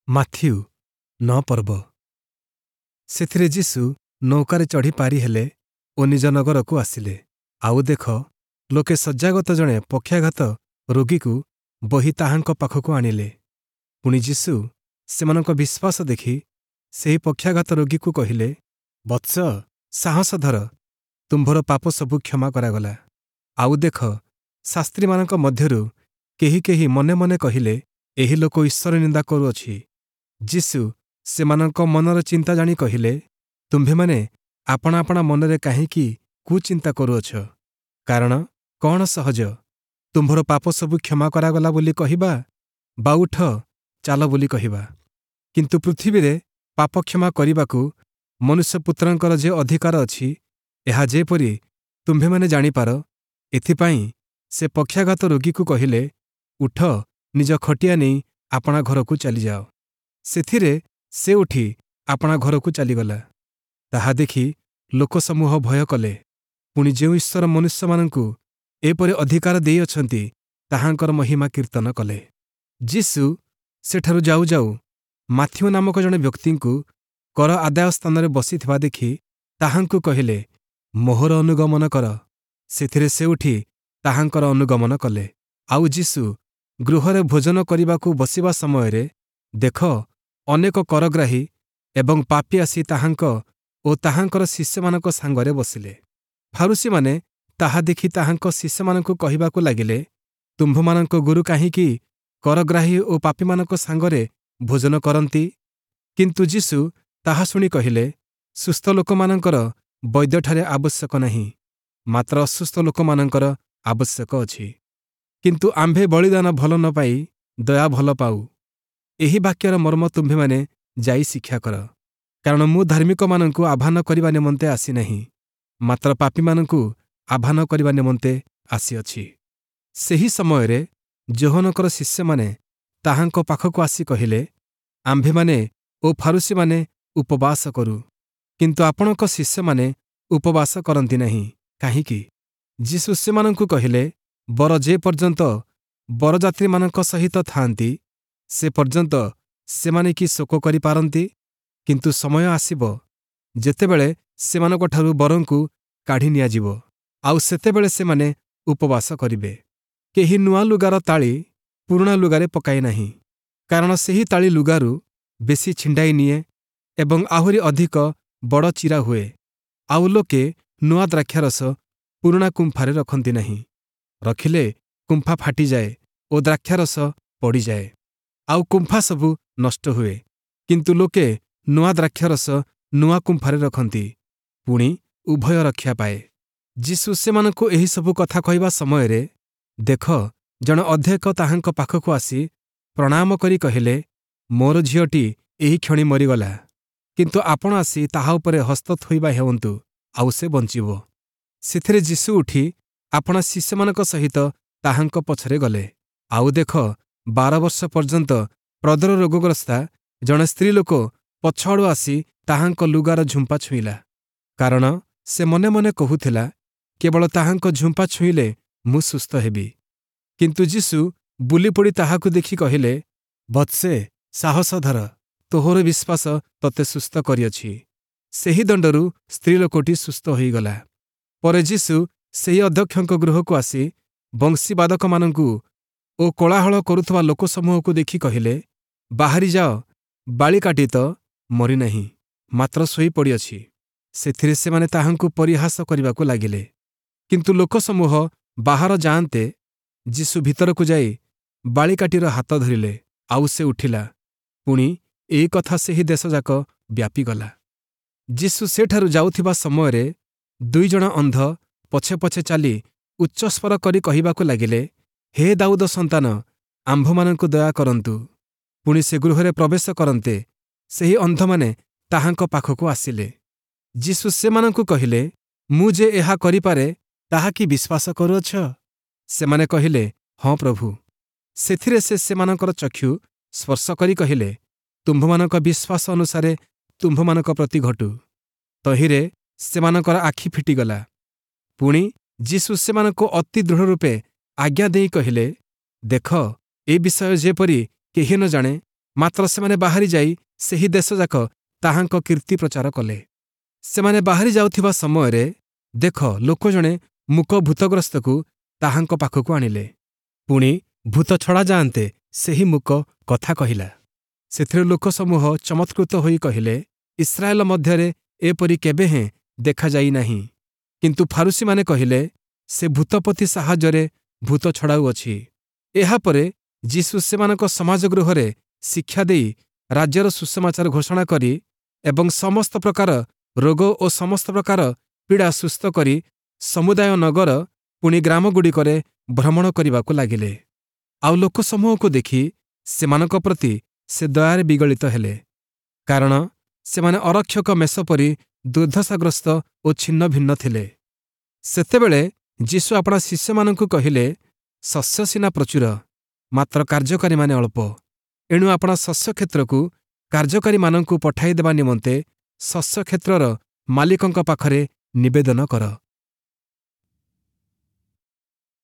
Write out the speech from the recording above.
Matthew 9 ପର୍ବ। ସେଥିରେ ଯୀଶୁ ନୌକାରେ ଚଢ଼ି ପାରି ହେଲେ ଓ ନିଜ ନଗରକୁ ଆସିଲେ। ଆଉ ଦେଖ, ଲୋକେ ଶଯ୍ୟାଗତ ଜଣେ ପକ୍ଷାଘାତ ରୋଗୀକୁ ବୋହି ତାହାଙ୍କ ପାଖକୁ ଆଣିଲେ। ପୁଣି ଯୀଶୁ ସେମାନଙ୍କ ବିଶ୍ୱାସ ଦେଖି ସେହି ପକ୍ଷାଘାତ ରୋଗୀକୁ କହିଲେ, ବତ୍ସ, ସାହସ ଧର, ତୁମ୍ଭର ପାପ ସବୁ କ୍ଷମା କରାଗଲା। ଆଉ ଦେଖ, ଶାସ୍ତ୍ରୀମାନଙ୍କ ମଧ୍ୟରୁ କେହି କେହି ମନେ ମନେ କହିଲେ, ଏହି ଲୋକ ଈଶ୍ୱର ନିନ୍ଦା କରୁଅଛି। ଯୀଶୁ ସେମାନଙ୍କ ମନର ଚିନ୍ତା ଜାଣି କହିଲେ, ତୁମ୍ଭେମାନେ ଆପଣା ଆପଣା ମନରେ କାହିଁକି କୁଚିନ୍ତା କରୁଅଛ? କାରଣ କଣ ସହଜ, ତୁମ୍ଭର ପାପ ସବୁ କ୍ଷମା କରାଗଲା ବୋଲି କହିବା, ବା ଉଠ ଚାଲ ବୋଲି କହିବା? କିନ୍ତୁ ପୃଥିବୀରେ ପାପ କ୍ଷମା କରିବାକୁ ମନୁଷ୍ୟପୁତ୍ରଙ୍କର ଯେ ଅଧିକାର ଅଛି, ଏହା ଯେପରି ତୁମ୍ଭେମାନେ ଜାଣିପାର, ଏଥିପାଇଁ ସେ ପକ୍ଷାଘାତ ରୋଗୀକୁ କହିଲେ, ଉଠ, ନିଜ ଖଟିଆ ନେଇ ଆପଣା ଘରକୁ ଚାଲିଯାଅ। ସେଥିରେ ସେ ଉଠି ଆପଣା ଘରକୁ ଚାଲିଗଲା। ତାହା ଦେଖି ଲୋକସମୂହ ଭୟ କଲେ। ପୁଣି ଯେଉଁ ଈଶ୍ୱର ମନୁଷ୍ୟମାନଙ୍କୁ ଏପରି ଅଧିକାର ଦେଇଅଛନ୍ତି, ତାହାଙ୍କର ମହିମା କୀର୍ତ୍ତନ କଲେ। ଯୀଶୁ ସେଠାରୁ ଯାଉ ଯାଉ ମାଥିଉ ନାମକ ଜଣେ ବ୍ୟକ୍ତିଙ୍କୁ କର ଆଦାୟ ସ୍ଥାନରେ ବସିଥିବା ଦେଖି ତାହାଙ୍କୁ କହିଲେ, ମୋହର ଅନୁଗମନ କର। ସେଥିରେ ସେ ଉଠି ତାହାଙ୍କର ଅନୁଗମନ କଲେ। ଆଉ ଯୀଶୁ ଗୃହରେ ଭୋଜନ କରିବାକୁ ବସିବା ସମୟରେ ଦେଖ, ଅନେକ କରଗ୍ରାହୀ ଏବଂ ପାପୀ ଆସି ତାହାଙ୍କ ଓ ତାହାଙ୍କର ଶିଷ୍ୟମାନଙ୍କ ସାଙ୍ଗରେ ବସିଲେ। ଫାରୂଶୀମାନେ ତାହା ଦେଖି ତାହାଙ୍କ ଶିଷ୍ୟମାନଙ୍କୁ କହିବାକୁ ଲାଗିଲେ, ତୁମ୍ଭମାନଙ୍କ ଗୁରୁ କାହିଁକି କରଗ୍ରାହୀ ଓ ପାପୀମାନଙ୍କ ସାଙ୍ଗରେ ଭୋଜନ କରନ୍ତି? କିନ୍ତୁ ଯୀଶୁ ତାହା ଶୁଣି କହିଲେ, ସୁସ୍ଥ ଲୋକମାନଙ୍କର ବୈଦ୍ୟଠାରେ ଆବଶ୍ୟକ ନାହିଁ, ମାତ୍ର ଅସୁସ୍ଥ ଲୋକମାନଙ୍କର ଆବଶ୍ୟକ ଅଛି। କିନ୍ତୁ ଆମ୍ଭେ ବଳିଦାନ ଭଲ ନ ପାଇ ଦୟା ଭଲ ପାଉ। ଏହି ବାକ୍ୟର ମର୍ମ ତୁମ୍ଭେମାନେ ଯାଇ ଶିକ୍ଷା କର। କାରଣ ମୁଁ ଧାର୍ମିକମାନଙ୍କୁ ଆହ୍ୱାନ କରିବା ନିମନ୍ତେ ଆସିନାହିଁ, ମାତ୍ର ପାପୀମାନଙ୍କୁ ଆହ୍ୱାନ କରିବା ନିମନ୍ତେ ଆସିଅଛି। ସେହି ସମୟରେ ଯୋହନଙ୍କର ଶିଷ୍ୟମାନେ ତାହାଙ୍କ ପାଖକୁ ଆସି କହିଲେ, ଆମ୍ଭେମାନେ ଓ ଫାରୂଶୀମାନେ ଉପବାସ କରୁ, କିନ୍ତୁ ଆପଣଙ୍କ ଶିଷ୍ୟମାନେ ଉପବାସ କରନ୍ତି ନାହିଁ, କାହିଁକି? ଯୀଶୁ ସେମାନଙ୍କୁ କହିଲେ, ବର ଯେ ପର୍ଯ୍ୟନ୍ତ ବରଯାତ୍ରୀମାନଙ୍କ ସହିତ ଥାଆନ୍ତି, ସେ ପର୍ଯ୍ୟନ୍ତ ସେମାନେ କି ଶୋକ କରିପାରନ୍ତି? କିନ୍ତୁ ସମୟ ଆସିବ, ଯେତେବେଳେ ସେମାନଙ୍କଠାରୁ ବରଙ୍କୁ କାଢ଼ି ନିଆଯିବ, ଆଉ ସେତେବେଳେ ସେମାନେ ଉପବାସ କରିବେ। କେହି ନୂଆ ଲୁଗାର ତାଳି ପୁରୁଣା ଲୁଗାରେ ପକାଏ ନାହିଁ, କାରଣ ସେହି ତାଳି ଲୁଗାରୁ ବେଶୀ ଛିଣ୍ଡାଇ ନିଏ ଏବଂ ଆହୁରି ଅଧିକ ବଡ଼ ଚିରା ହୁଏ। ଆଉ ଲୋକେ ନୂଆ ଦ୍ରାକ୍ଷାରସ ପୁରୁଣା କୁମ୍ଫାରେ ରଖନ୍ତି ନାହିଁ, ରଖିଲେ କୁମ୍ଫା ଫାଟିଯାଏ ଓ ଦ୍ରାକ୍ଷାରସ ପଡ଼ିଯାଏ, ଆଉ କୁମ୍ଫା ସବୁ ନଷ୍ଟ ହୁଏ। କିନ୍ତୁ ଲୋକେ ନୂଆ ଦ୍ରାକ୍ଷାରସ ନୂଆ କୁମ୍ଫାରେ ରଖନ୍ତି, ପୁଣି ଉଭୟ ରକ୍ଷା ପାଏ। ଯୀଶୁ ସେମାନଙ୍କୁ ଏହିସବୁ କଥା କହିବା ସମୟରେ ଦେଖ, ଜଣେ ଅଧ୍ୟକ୍ଷ ତାହାଙ୍କ ପାଖକୁ ଆସି ପ୍ରଣାମ କରି କହିଲେ, ମୋର ଝିଅଟି ଏହି କ୍ଷଣି ମରିଗଲା, କିନ୍ତୁ ଆପଣ ଆସି ତାହା ଉପରେ ହସ୍ତ ଥୋଇବା ହେଉନ୍ତୁ, ଆଉ ସେ ବଞ୍ଚିବ। ସେଥିରେ ଯୀଶୁ ଉଠି ଆପଣା ଶିଷ୍ୟମାନଙ୍କ ସହିତ ତାହାଙ୍କ ପଛରେ ଗଲେ। ଆଉ ଦେଖ, 12 ବର୍ଷ ପର୍ଯ୍ୟନ୍ତ ପ୍ରଦର ରୋଗଗ୍ରସ୍ତା ଜଣେ ସ୍ତ୍ରୀଲୋକ ପଛଆଡ଼ୁ ଆସି ତାହାଙ୍କ ଲୁଗାର ଝୁମ୍ପା ଛୁଇଁଲା। କାରଣ ସେ ମନେ ମନେ କହୁଥିଲା, କେବଳ ତାହାଙ୍କ ଝୁମ୍ପା ଛୁଇଁଲେ ମୁଁ ସୁସ୍ଥ ହେବି। କିନ୍ତୁ ଯୀଶୁ ବୁଲିପଡ଼ି ତାହାକୁ ଦେଖି କହିଲେ, ବତ୍ସେ, ସାହସ ଧର, ତୋହର ବିଶ୍ୱାସ ତୋତେ ସୁସ୍ଥ କରିଅଛି। ସେହି ଦଣ୍ଡରୁ ସ୍ତ୍ରୀଲୋକଟି ସୁସ୍ଥ ହୋଇଗଲା। ପରେ ଯୀଶୁ ସେହି ଅଧ୍ୟକ୍ଷଙ୍କ ଗୃହକୁ ଆସି ବଂଶୀବାଦକମାନଙ୍କୁ ଓ କୋଳାହଳ କରୁଥିବା ଲୋକସମୂହକୁ ଦେଖି କହିଲେ, ବାହାରି ଯାଅ, ବାଳିକାଟି ତ ମରିନାହିଁ, ମାତ୍ର ଶୋଇପଡ଼ିଅଛି। ସେଥିରେ ସେମାନେ ତାହାଙ୍କୁ ପରିହାସ କରିବାକୁ ଲାଗିଲେ। କିନ୍ତୁ ଲୋକସମୂହ ବାହାର ଯାଆନ୍ତେ ଯୀଶୁ ଭିତରକୁ ଯାଇ ବାଳିକାଟିର ହାତ ଧରିଲେ, ଆଉ ସେ ଉଠିଲା। ପୁଣି ଏହି କଥା ସେହି ଦେଶଯାକ ବ୍ୟାପିଗଲା। ଯୀଶୁ ସେଠାରୁ ଯାଉଥିବା ସମୟରେ 2 ଜଣ ଅନ୍ଧ ପଛେ ପଛେ ଚାଲି ଉଚ୍ଚସ୍ୱର କରି କହିବାକୁ ଲାଗିଲେ, ହେ ଦାଉଦ ସନ୍ତାନ, ଆମ୍ଭମାନଙ୍କୁ ଦୟା କରନ୍ତୁ। ପୁଣି ସେ ଗୃହରେ ପ୍ରବେଶ କରନ୍ତେ ସେହି ଅନ୍ଧମାନେ ତାହାଙ୍କ ପାଖକୁ ଆସିଲେ। ଯୀଶୁ ସେମାନଙ୍କୁ କହିଲେ, ମୁଁ ଯେ ଏହା କରିପାରେ, ତାହା କି ବିଶ୍ୱାସ କରୁଅଛ? ସେମାନେ କହିଲେ, ହଁ ପ୍ରଭୁ। ସେଥିରେ ସେ ସେମାନଙ୍କର ଚକ୍ଷୁ ସ୍ପର୍ଶ କରି କହିଲେ, ତୁମ୍ଭମାନଙ୍କ ବିଶ୍ୱାସ ଅନୁସାରେ ତୁମ୍ଭମାନଙ୍କ ପ୍ରତି ଘଟୁ। ତହିଁରେ ସେମାନଙ୍କର ଆଖି ଫିଟିଗଲା। ପୁଣି ଯୀଶୁ ସେମାନଙ୍କୁ ଅତି ଦୃଢ଼ ରୂପେ ଆଜ୍ଞା ଦେଇ କହିଲେ, ଦେଖ, ଏ ବିଷୟ ଯେପରି କେହି ନ ଜାଣେ, ମାତ୍ର ସେମାନେ ବାହାରି ଯାଇ ସେହି ଦେଶଯାକ ତାହାଙ୍କ କୀର୍ତ୍ତି ପ୍ରଚାର କଲେ। ସେମାନେ ବାହାରି ଯାଉଥିବା ସମୟରେ ଦେଖ, ଲୋକ ଜଣେ ମୂକ ଭୂତଗ୍ରସ୍ତକୁ ତାହାଙ୍କ ପାଖକୁ ଆଣିଲେ। ପୁଣି ଭୂତ ଛଡ଼ା ଯାଆନ୍ତେ ସେହି ମୂକ କଥା କହିଲା। ସେଥିରେ ଲୋକସମୂହ ଚମତ୍କୃତ ହୋଇ କହିଲେ, ଇସ୍ରାଏଲ ମଧ୍ୟରେ ଏପରି କେବେ ହେଁ ଦେଖାଯାଇ ନାହିଁ। କିନ୍ତୁ ଫାରୂଶୀମାନେ କହିଲେ, ସେ ଭୂତପତି ସାହାଯ୍ୟରେ ଭୂତ ଛଡ଼ାଉଅଛି। ଏହାପରେ ଯୀଶୁ ସେମାନଙ୍କ ସମାଜ ଗୃହରେ ଶିକ୍ଷା ଦେଇ, ରାଜ୍ୟର ସୁସମାଚାର ଘୋଷଣା କରି ଏବଂ ସମସ୍ତ ପ୍ରକାର ରୋଗ ଓ ସମସ୍ତ ପ୍ରକାର ପୀଡ଼ା ସୁସ୍ଥ କରି ସମୁଦାୟ ନଗର ପୁଣି ଗ୍ରାମଗୁଡ଼ିକରେ ଭ୍ରମଣ କରିବାକୁ ଲାଗିଲେ। ଆଉ ଲୋକସମୂହକୁ ଦେଖି ସେମାନଙ୍କ ପ୍ରତି ସେ ଦୟାରେ ବିଗଳିତ ହେଲେ, କାରଣ ସେମାନେ ଅରକ୍ଷକ ମେଷ ପରି ଦୁର୍ଦ୍ଦଶାଗ୍ରସ୍ତ ଓ ଛିନ୍ନ ଭିନ୍ନ ଥିଲେ। ସେତେବେଳେ ଯୀଶୁ ଆପଣା ଶିଷ୍ୟମାନଙ୍କୁ କହିଲେ, ଶସ୍ୟ ସିନା ପ୍ରଚୁର, ମାତ୍ର କାର୍ଯ୍ୟକାରୀମାନେ ଅଳ୍ପ। ଏଣୁ ଆପଣା ଶସ୍ୟ କ୍ଷେତ୍ରକୁ କାର୍ଯ୍ୟକାରୀମାନଙ୍କୁ ପଠାଇଦେବା ନିମନ୍ତେ ଶସ୍ୟ କ୍ଷେତ୍ରର ମାଲିକଙ୍କ ପାଖରେ ନିବେଦନ କର।